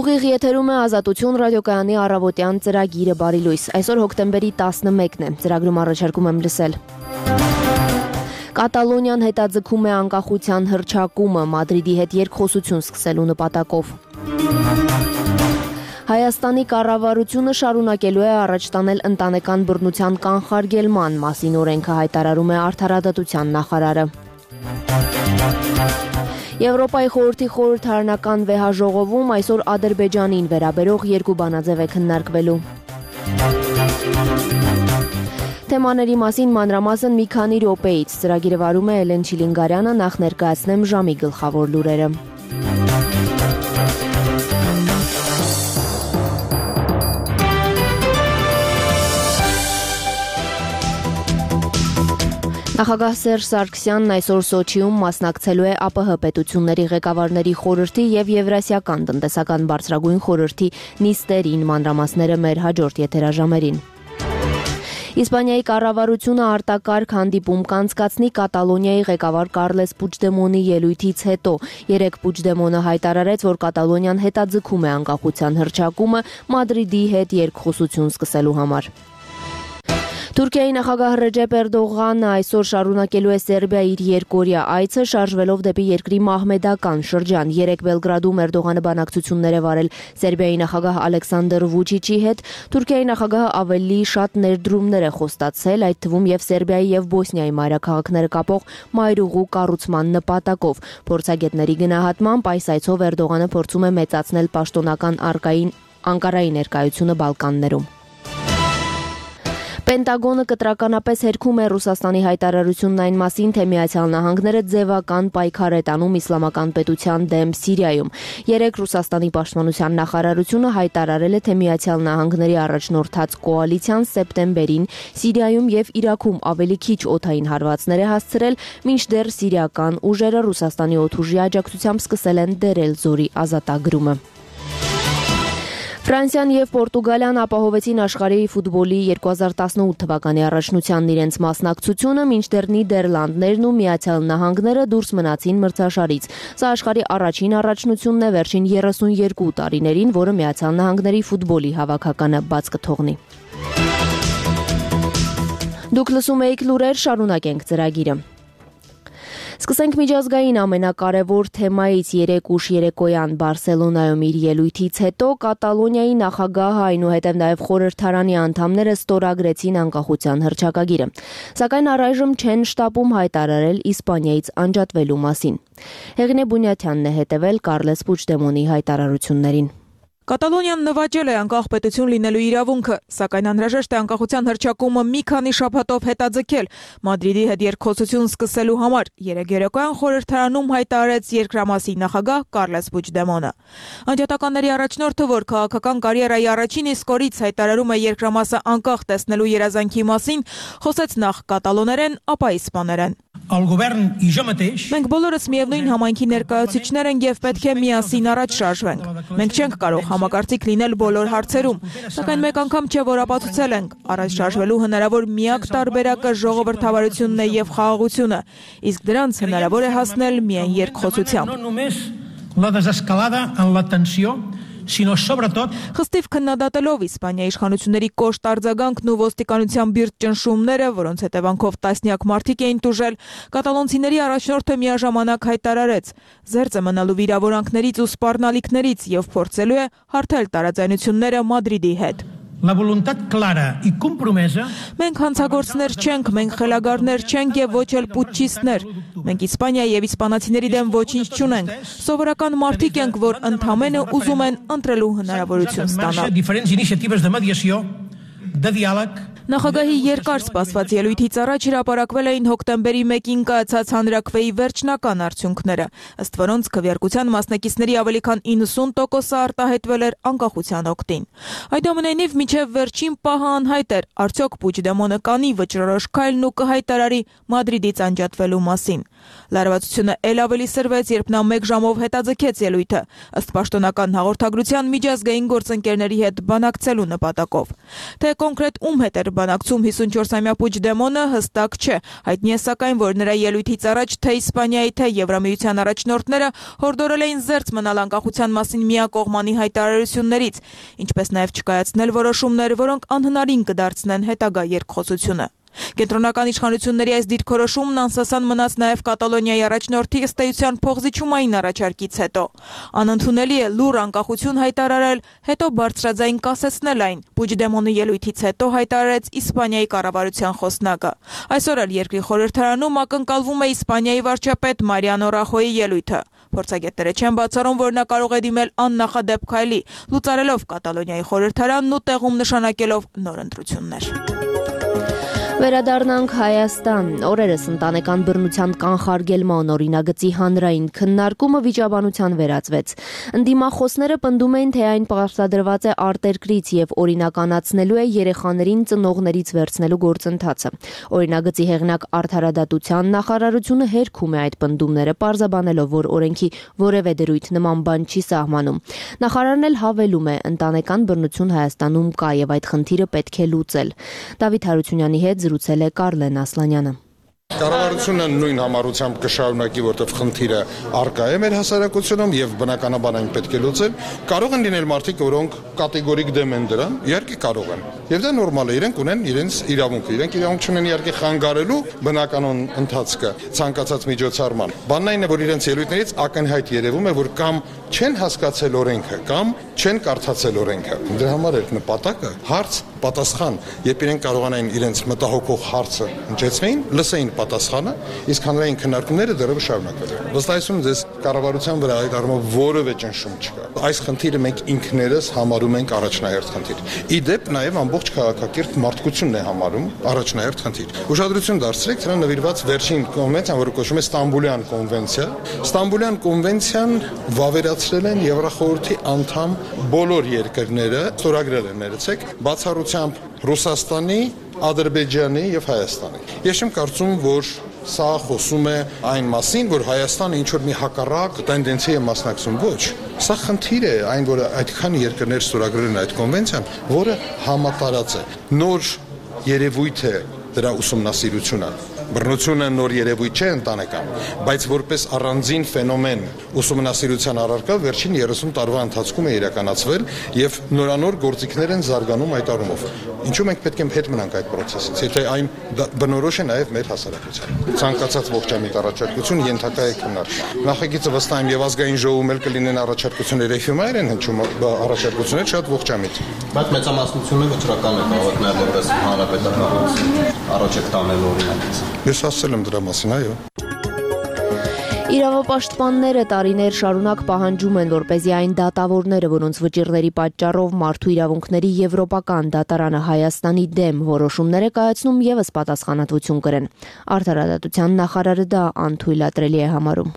Ուղիղ եթերում է Ազատություն ռադիոկայանի առավոտյան ծրագիրը բարի լույս։ Այսօր հոկտեմբերի 11-ն է։ Ծրագրում առաջարկում եմ լսել. Կատալոնիան հետաձգում է անկախության հռչակումը, Մադրիդի հետ երկխոսություն սկսելու նպատակով։ Հայաստանի կառավարությունը շարունակելու է առաջ տանել ընտանեկան բռնության կանխարգելման մասին օրենքը, հայտարարում է Արդարադատության նախարարը։ Եվրոպայի խորհրդի խորհրդարանական վեհաժողովում այսօր Ադրբեջանին վերաբերող երկու բանաձև է քննարկվելու։ Թեմաների մասին մանրամասն մի քանի րոպեից ծրագիրը վարում է Էլեն Չիլինգարյանը, նախ ներկայացնեմ ժամի գլխավոր լուրերը։ Նախագահ Սերժ Սարգսյանն այսօր Սոչիում մասնակցելու է ԱՊՀ պետությունների ղեկավարների խորհրդի եւ Եվրասիական տնտեսական բարձրագույն խորհրդի նիստերին, մանրամասները մեր հաջորդ եթերաժամերին։ Իսպանիայի կառավարությունը արտակարգ հանդիպում կանցկացնի Կատալոնիայի ղեկավար Կարլես Պուչդեմոնի ելույթից հետո։ Երեկ Պուչդեմոնը հայտարարեց, որ Կատալոնիան հետաձգում է անկախության հռչակումը Մադրիդի հետ երկխոսություն սկսելու համար։ Թուրքիայի նախագահ Ռեջեփ Էրդողանը այսօր շարունակելու է Սերբիայի իր երկօրյա այցը, շարժվելով դեպի երկրի մահմեդական շրջան։ Երեկ Բելգրադում Էրդողանը բանակցություններ է վարել Սերբիայի նախագահ Ալեքսանդր Վուչիչի հետ։ Թուրքիայի նախագահը ավելի շատ ներդրումներ է խոստացել, այդ թվում եւ Սերբիայի եւ Բոսնիայի մայրաքաղաքները կապող մայրուղու կառուցման նպատակով։ Փորձագետների գնահատմամբ այս այցով Էրդողանը փորձում է մեծացնել պաշտոնական Անկարայի ներկայությունը Բալկաններում։ Պենտագոնը կտրականապես հերքում է Ռուսաստանի հայտարարությունն այն մասին, թե Միացյալ Նահանգները ձևական պայքար է տանում իսլամական պետության դեմ Սիրիայում։ Երեկ Ռուսաստանի պաշտպանության նախարարությունը հայտարարել է, թե Միացյալ Նահանգների առաջնորդած կոալիցիան սեպտեմբերին Սիրիայում եւ Իրաքում ավելի քիչ օդային հարվածներ է հասցրել, մինչդեռ սիրիական ուժերը Ռուսաստանի օդուժի աջակցությամբ սկսել են դերել զորի ազատագրումը։ Ֆրանսիան եւ Պորտուգալիան ապահովեցին աշխարհի ֆուտբոլի 2018 թվականի առաջնությանն իրենց մասնակցությունը, մինչդեռ Նիդերլանդներն ու Միացյալ Նահանգները դուրս մնացին մրցաշարից։ Սա աշխարհի առաջին առաջնությունն է վերջին 32 տարիներին, որը Միացյալ Նահանգների ֆուտբոլի հավաքականը բաց կթողնի։ Դուք լսում եք լուրեր, շարունակենք ծրագիրը։ Սկսենք միջազգային ամենակարևոր թեմայից երեկ ուշ երեկոյան Բարսելոնայում իր ելույթից հետո Կատալոնիայի նախագահը, այնուհետև նաև խորհրդարանի անդամները ստորագրեցին անկախության հռչակագիրը։ Սակայն առայժմ չեն շտապում հայտարարել Իսպանիայից անջատվելու մասին։ Հեղինե Բունյաթյանն է հետևել Կարլես Պուչդեմոնի հայտարարություններին։ Կատալոնիան նվաճել է անկախ պետություն լինելու իրավունքը, սակայն անհրաժեշտ է անկախության հռչակումը մի քանի շաբաթով հետաձգել Մադրիդի հետ երկխոսություն սկսելու համար, երեկ երեկոյան խորհրդարանում հայտարարեց երկրամասի նախագահ Կարլես Պուչդեմոնը։ Անջատականների առաջնորդը, որ քաղաքական կարիերայի առաջին իսկ օրից հայտարարում է երկրամասը անկախ տեսնելու երազանքի մասին, խոսեց նախ կատալոներեն, ապա իսպաներեն։ Մենք բոլորս միևնույն համայնքի ներկայացուցիչներ ենք եւ պետք է միասին առաջ շարժվենք։ Մենք չենք կարող համակարծիք լինել բոլոր հարցերում, սակայն մեկ անգամ չէ, որ ապացուցել ենք, առաջ շարժվելու հնարավոր միակ տարբերակը ժողովրդավարությունն է եւ խաղաղությունը, իսկ դրանց հնարավոր է հասնել միայն երկխոսությամբ։ Խստիվ քննադատելով Իսպանիայի իշխանությունների կոշտ արձագանքն ու ոստիկանության բիրտ ճնշումները, որոնց հետևանքով տասնյակ մարդիկ էին տուժել, կատալոնցիների առաջնորդը միաժամանակ հայտարարեց, զերծ է մնալու վիրավորանքներից ու սպառնալիքներից եւ փորձելու է հարթել տարաձայնությունները Մադրիդի հետ։ Մենք հանցագործներ չենք, մենք խելագարներ չենք եւ ոչ էլ պուտչիստներ։ Մենք Իսպանիայի եւ իսպանացիների դեմ ոչինչ չունենք։ Սովորական մարդիկ ենք, որ ընդհանրապես ուզում են ընտրելու հնարավորություն ստանալ։ Նախագահի երկար սպասված ելույթից առաջ հրապարակվել էին հոկտեմբերի 1-ին կայացած հանրաքվեի վերջնական արդյունքները, ըստ որոնց քվեարկության մասնակիցների ավելի քան 90%-ը արտահայտվել էր անկախության օգտին։ Այնուամենայնիվ մինչև վերջին պահը անհայտ էր, արդյոք Պուչդեմոնը կանի վճռորոշ քայլն ու կհայտարարի Մադրիդից անջատվելու մասին։ Լարվածությունը ել ավելի սրվեց, երբ նա 1 ժամով հետաձգեց ելույթը, ըստ պաշտոնական հաղորդագրության միջազգային գործընկերների հետ բանակցելու նպատակով։ Թե կոնկրետ ում հետ էր բանակցում 54-ամյա Պուջդեմոնը հստակ չէ։ Հայտնի է սակայն, որ նրա ելույթից առաջ թե Իսպանիայի, թե Եվրամիության առաջնորդները հորդորել էին զերծ մնալ անկախության մասին միակողմանի հայտարարություններից, ինչպես նաև չկայացնել որոշումներ, որոնք անհնարին կդարձնեն հետագա երկխոսությունը։ Կենտրոնական իշխանությունների այս դիրքորոշումն անսասան մնաց նաև Կատալոնիայի առաջնորդի ըստ էության փոխզիջումային առաջարկից հետո։ Անընդունելի է լուռ անկախություն հայտարարել, հետո բարձրաձայն կասեցնել այն, Պուջդեմոնի ելույթից հետո հայտարարեց Իսպանիայի կառավարության խոսնակը։ Այսօր էլ երկրի խորհրդարանում ակնկալվում է Իսպանիայի վարչապետ Մարիանո Ռախոյի ելույթը։ Փորձագետները չեն բացառում, որ նա կարող է դիմել աննախադեպ քայլի, լուծարելով Կատալոնիայի խորհրդարանն ու տեղում նշանակելով նոր ընտրություններ։ Վերադառնանք Հայաստան։ Օրերս ընտանեկան բռնության կանխարգելման օրինագծի հանրային քննարկումը վիճաբանության վերածվեց։ Ընդդիմախոսները պնդում էին, թե այն պարտադրված է արտերկրից եւ օրինականացնելու է երեխաներին ծնողներից վերցնելու գործընթացը։ Օրինագծի հեղինակ Արդարադատության նախարարությունը հերքում է այդ պնդումները, պարզաբանելով, որ օրենքի որևէ դրույթ նման բան չի սահմանում։ Նախարարն էլ հավելում է, ընտանեկան բռնություն Հայաստանում կա եւ այդ խնդիրը պետք է լուծել։ Դավիթ Հարությունյանի հետ զրուցել է Կարլեն Ասլանյանը։ Կառավարությունը նույն համառությամբ կշարունակի, որտեղ խնդիրը առկա է մեր հասարակությունում եւ բնականաբար այն պետք է լուծել։ Կարող են լինել մարդիկ, որոնք կատեգորիկ դեմ են դրան, իհարկե կարող են։ Եվ դա նորմալ է, իրենք ունեն իրենց իրավունքը։ Իրենք իրավունք չունեն իհարկե խանգարելու բնականon ընթացքը ցանկացած միջոցառման։ Բանն այն է, որ իրենց ելույթներից ակնհայտ երևում է, որ կամ չեն հասկացել օրենքը, կամ չեն կարդացել օրենքը։ Դրա համար է նպատակը հարց պատասխան, երբ իրենք կարողանային իրենց մտահոգող հարցը հնչեցնեին, լսեին պատասխանը, իսկ հանրային քննարկումները դեռևս շարունակվել են։ Վստահեցում ձեզ կառավարության վրա այդ առումով որևէ ճնշում չկա։ Այս խնդիրը մենք ինքներս համարում ենք առաջնահերթ խնդիր։ Ի դեպ նաև ամբողջ քաղաքակիրթ մարդկությունն է համարում առաջնահերթ խնդիր։ Ուշադրություն դարձրեք դրան նվիրված վերջին կոնվենցիան, որը կոչվում է Ստամբուլյան կոնվենցիա։ Ստամբուլյան կոնվենցիան վավերացրել են Եվրախորհրդի անդամ բոլոր երկրները, ստորագրել են, ներեցեք, բացառությամբ Ռուսաստանի, Ադրբեջանի եւ Հայաստանի։ Ես չեմ կարծում, որ սա խոսում է այն մասին, որ Հայաստանը ինչ-որ մի հակառակ տենդենցի է մասնակցում, ոչ։ Սա խնդիր է, այն որ այդքան երկրներ ստորագրել են այդ կոնվենցիան, որը համատարած է։ Նոր երևույթ է դրա ուսումնասիրությունը։ Բռնությունը նոր երևույթ չէ ընտանեկան, բայց որպես առանձին ֆենոմեն ուսումնասիրության առարկա վերջին 30 տարվա ընթացքում է իրականացվել եւ նորանոր գործիքներ են զարգանում այդ առումով։ Ինչու մենք պետք է հետ մնանք այդ process-ից, եթե այն բնորոշ է նաեւ մեր հասարակությանը։ Ցանկացած ողջամիտ առաջարկություն ենթակա է քննարկման։ Նախագիծը վստահ եմ եւ ազգային ժողովում էլ կլինեն առաջարկություններ, էֆեմեր են հնչում առաջարկություններ շատ ողջամիտ։ Բայց մեծամասնությունը վճռական է կարող որպես հանրապետական առաջարկ տանել օրինակ։ Ես ասել եմ դրա մասին, այո։ Իրավապաշտպանները տարիներ շարունակ պահանջում են, որպեսզի այն դատավորները, որոնց վճիռների պատճառով մարդու իրավունքների Եվրոպական դատարանը Հայաստանի դեմ որոշումներ է կայացնում, ևս պատասխանատվություն կրեն։ Արդարադատության նախարարը դա անթույլատրելի է համարում։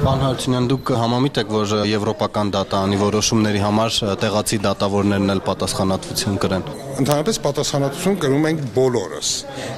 Պարոն Հարությունյան, դուք համամիտ եք, որ Եվրոպական դատարանի որոշումների համար տեղացի դատավորներն էլ պատասխանատվություն կրեն։ Ընդհանրապես պատասխանատվություն կրում ենք բոլորս։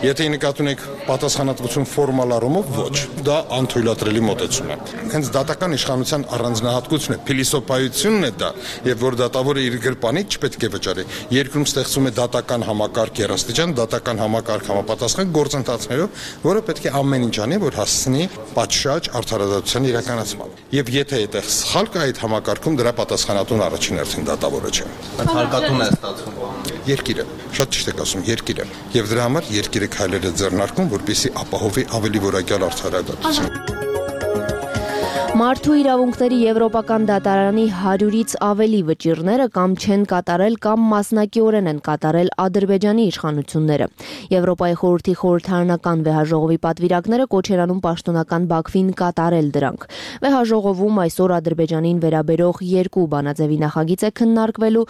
Եթե նկատի ունեք պատասխանատվություն ֆորմալ առումով, ոչ, դա անթույլատրելի մոտեցում է։ Հենց դատական իշխանության առանձնահատկությունն է, փիլիսոփայությունն է դա, եւ որ դատավորը իր գրպանից չպետք է վճարի։ Երկրում ստեղծում է դատական համակարգ երաստիճան, դատական համակարգ համապատասխան գործընթացներով, որը պետք է ամեն ինչ անի, որ հասցնի պատշաճ արդարադատության իրականացման։ Եվ եթե այդտեղ սխալ կա այդ համակարգում, դրա պատասխանատուն առաջին հերթին դատավորը չէ։ Բայց հարկատուն է ստացվում։ Երկիրը, շատ ճիշտ եք ասում, երկիրը։ Եվ դրա համար երկիրը քայլեր է ձեռնարկում, որպեսզի ապահովի ավելի որակյալ արդարադատություն։ Մարդու իրավունքների Եվրոպական դատարանի 100-ից ավելի վճիռները կամ չեն կատարել կամ մասնակիորեն են կատարել Ադրբեջանի իշխանությունները։ Եվրոպայի խորհրդի խորհրդարանական վեհաժողովի պատվիրակները կոչ են անում պաշտոնական Բաքվին կատարել դրանք։ Վեհաժողովում այսօր Ադրբեջանին վերաբերող 2 բանաձևի նախագիծ է քննարկվելու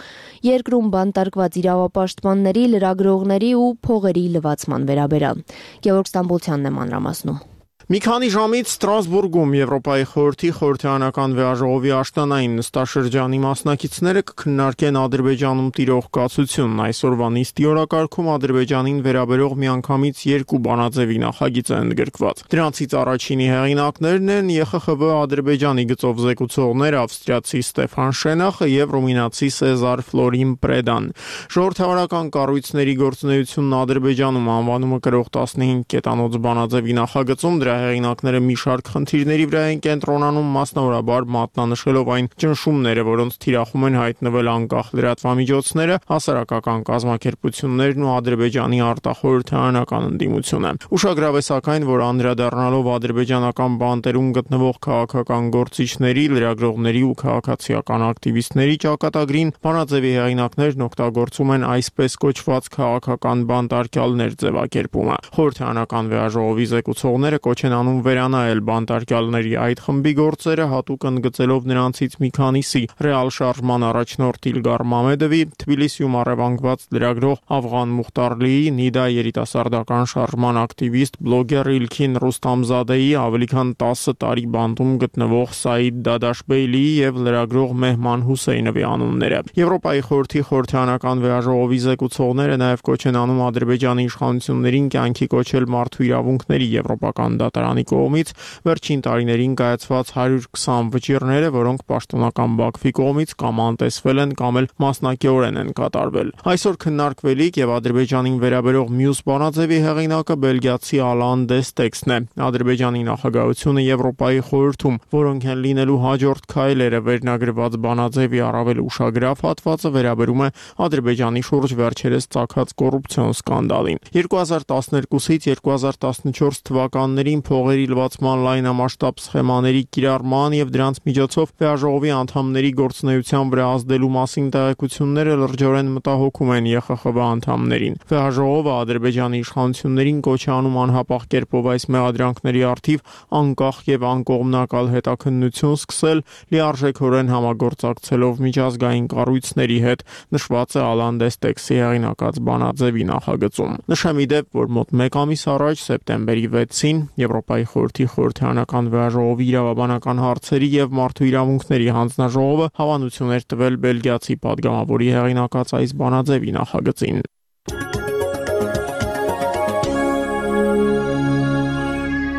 երկրում բանտարկված իրավապաշտպանների, լրագրողների ու փողերի լվացման վերաբերյալ։ Գևորգ Ստամբոլցյանն է մանրամասնում։ Մի քանի ժամից Ստրասբուրգում Եվրոպայի խորհրդի խորհրդարանական վեաժողովի աշտանային նստաշրջանի մասնակիցները կքննարկեն Ադրբեջանում տիրող կացությունն։ Այսօրվա նիստի օրակարգում Ադրբեջանին վերաբերող միանգամից 2 բանաձևի նախագիծ է ընդգրկված։ Դրանցից առաջինի հեղինակներն են ԵԽԽՎ Ադրբեջանի գծով զեկուցողներ ավստրիացի Ստեփան Շենախը եւ ռումինացի Սեզար Ֆլորին Պրեդան։ Ժողովրդավարական կառույցների գործունեությունն Ադրբեջանում անվանումը կրող 15 կետանոց բանաձևի նախագծում դրա հեղինակները մի շարք խնդիրների վրա են կենտրոնանում, մասնավորաբար մատնանշելով այն ճնշումները, որոնց թիրախում են հայտնվել անկախ լրատվամիջոցները, հասարակական կազմակերպություններն ու Ադրբեջանի արտախորհրդարանական ընդդիմությունը։ Ուշագրավ է սակայն, որ անդրադառնալով ադրբեջանական բանտերում գտնվող քաղաքական գործիչների, լրագրողների ու քաղաքացիական ակտիվիստների ճակատագրին, բանաձևի հեղինակներն օգտագործում են այսպես կոչված քաղաքական բանտարկյալներ ձևակերպումը։ Խորհրդարանական վեաժողովի զեկուցողները կոչ են անում վերանայել բանտարկյալների այդ խմբի գործերը, հատուկ ընդգծելով նրանցից մի քանիսի՝ Ռեալ շարժման առաջնորդ Իլգար Մամեդովի, Թբիլիսիում առևանգված լրագրող Աֆղան Մուխտարլիի, Նիդա երիտասարդական շարժման ակտիվիստ բլոգեր Իլքին Ռուստամզադեի, ավելի քան 10 տարի բանտում գտնվող Սաիդ Դադաշբեյլիի եւ լրագրող Մեհման Հուսեյնովի անունները։ Եվրոպայի խորհրդի խորհրդարանական վեաժողովի զեկուցողները նաեւ կոչ են անում Ադրբեջանի իշխանություններին կյանքի կոչել մարդու իրավունքների եվրոպական դատարանի կողմից վերջին տարիներին կայացված 120 վճիռները, որոնք պաշտոնական Բաքվի կողմից կամ անտեսվել են կամ էլ մասնակիորեն են կատարվել։ Այսօր քննարկվելիք եւ Ադրբեջանին վերաբերող մյուս բանաձևի հեղինակը բելգիացի Ալան Դեստեքսն է։ Ադրբեջանի նախագահությունը Եվրոպայի խորհրդում, որոնք են լինելու հաջորդ քայլերը վերնագրված բանաձևի առավել ուշագրավ հատվածը վերաբերում է Ադրբեջանի շուրջ վերջերս ծագած կոռուպցիոն սկանդալին։ 2012-ից 2014 թվականներին փողերի լվացման լայնամասշտաբ սխեմաների կիրառման եւ դրանց միջոցով վեաժողովի անդամների գործունեության վրա ազդելու մասին տեղեկությունները լրջորեն մտահոգում են ԵԽԽՎ անդամներին։ Վեաժողովը Ադրբեջանի իշխանություններին կոչ է անում անհապաղ կերպով այս մեղադրանքների առթիվ անկախ եւ անկողմնակալ հետաքննություն սկսել, լիարժեքորեն համագործակցելով միջազգային կառույցների հետ, նշված է Ալան Դեստեքսի հեղինակած բանաձևի նախագծում։ Նշեմ ի դեպ, որ մոտ 1 ամիս առաջ սեպտեմբերի 6-ին Եվրոպայի խորհրդի խորհրդարանական վեաժողովի իրավաբանական հարցերի եւ մարդու իրավունքների հանձնաժողովը հավանություն էր տվել բելգիացի падգամավորի հեղինակած այս բանաձևի նախագծին։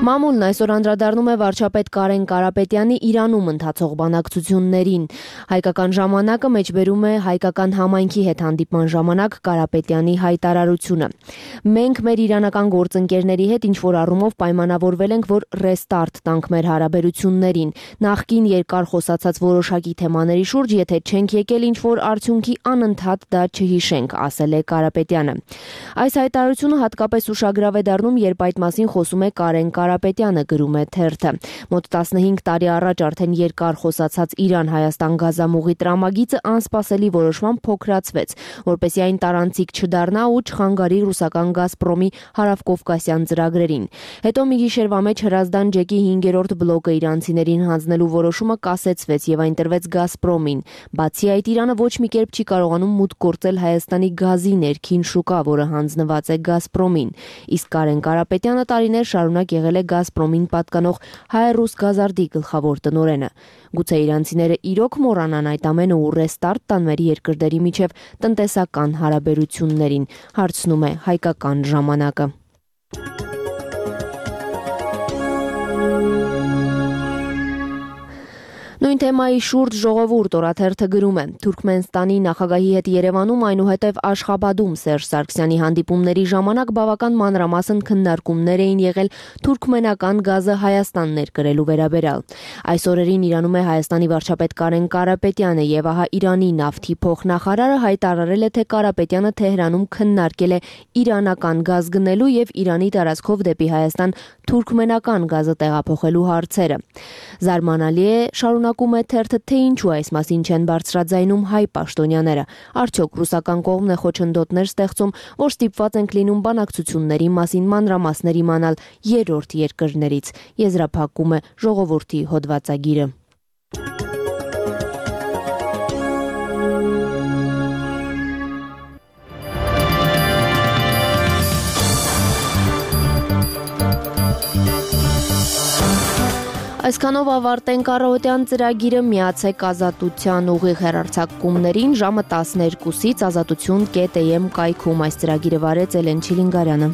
Մամուլն այսօր անդրադառնում է վարչապետ Կարեն Կարապետյանի Իրանում ընթացող բանակցություններին։ Հայկական ժամանակը մեջբերում է հայկական համայնքի հետ հանդիպման ժամանակ Կարապետյանի հայտարարությունը։ Մենք մեր իրանական գործընկերների հետ ինչ-որ առումով պայմանավորվել ենք, որ ռեստարտ տանք մեր հարաբերություններին։ Նախկին երկար խոսացած որոշակի թեմաների շուրջ, եթե չենք եկել ինչ-որ արդյունքի, անընդհատ դա չհիշենք, ասել է Կարապետյանը։ Այս հայտարարությունը հատկապես ուշագրավ է դառնում, երբ այդ մասին խոսում է Կարեն Կարապետյանը, գրում է թերթը։ Մոտ 15 տարի առաջ արդեն երկար խոսացած Իրան-Հայաստան գազամուղի տրամագիծը անսպասելի որոշմամբ փոքրացվեց, որպեսզի այն տարանցիկ չդառնա ու չխանգարի ռուսական Գազպրոմի հարավկովկասյան ծրագրերին։ Հետո մի գիշերվա մեջ Հրազդան ջեկի 5-րդ բլոկը իրանցիներին հանձնելու որոշումը կասեցվեց եւ այն տրվեց Գազպրոմին։ Բացի այդ, Իրանը ոչ մի կերպ չի կարողանում մուտք գործել Հայաստանի գազի ներքին շուկա, որը հանձնված է Գազպրոմին։ Իսկ Կարեն Կարապետյանը տարիներ շարունակ եղել է Գազպրոմին պատկանող Հայ-ռուս գազարդի գլխավոր տնօրենը։ Գուցե իրանցիները իրոք մոռանան այդ ամենը ու ռեստարտ տան մեր երկրների միջև տնտեսական հարաբերություններին, հարցնում է Հայկական ժամանակը։ Նույն թեմայի շուրջ ժողովուրդ օրաթերթը գրում է. Թուրքմենստանի նախագահի հետ Երևանում, այնուհետև Աշխաբադում Սերժ Սարգսյանի հանդիպումների ժամանակ բավական մանրամասն քննարկումներ էին եղել թուրքմենական գազը Հայաստան ներկրելու վերաբերյալ։ Այս օրերին Իրանում է Հայաստանի վարչապետ Կարեն Կարապետյանը եւ ահա Իրանի նավթի փոխնախարարը հայտարարել է, թե Կարապետյանը Թեհրանում քննարկել է իրանական գազ գնելու եւ Իրանի տարածքով դեպի Հայաստան թուրքմենական գազը տեղափոխելու հարցերը։ Զարմանալի է, շարունակում է թերթը, թե ինչու այս մասին չեն բարձրաձայնում հայ պաշտոնյաները։ Արդյոք ռուսական կողմն է խոչընդոտներ ստեղծում, որ ստիպված ենք լինում բանակցությունների մասին մանրամասներ իմանալ երրորդ երկրներից, եզրափակում է ժողովրդի հոդվածագիրը։ Այսքանով ավարտենք առօրյան ծրագիրը, միացեք Ազատության ուղիղ հեռարձակումներին ժամը 12-ից ազատություն.am կայքում։ Այս ծրագիրը վարեց Էլեն Չիլինգարյանը։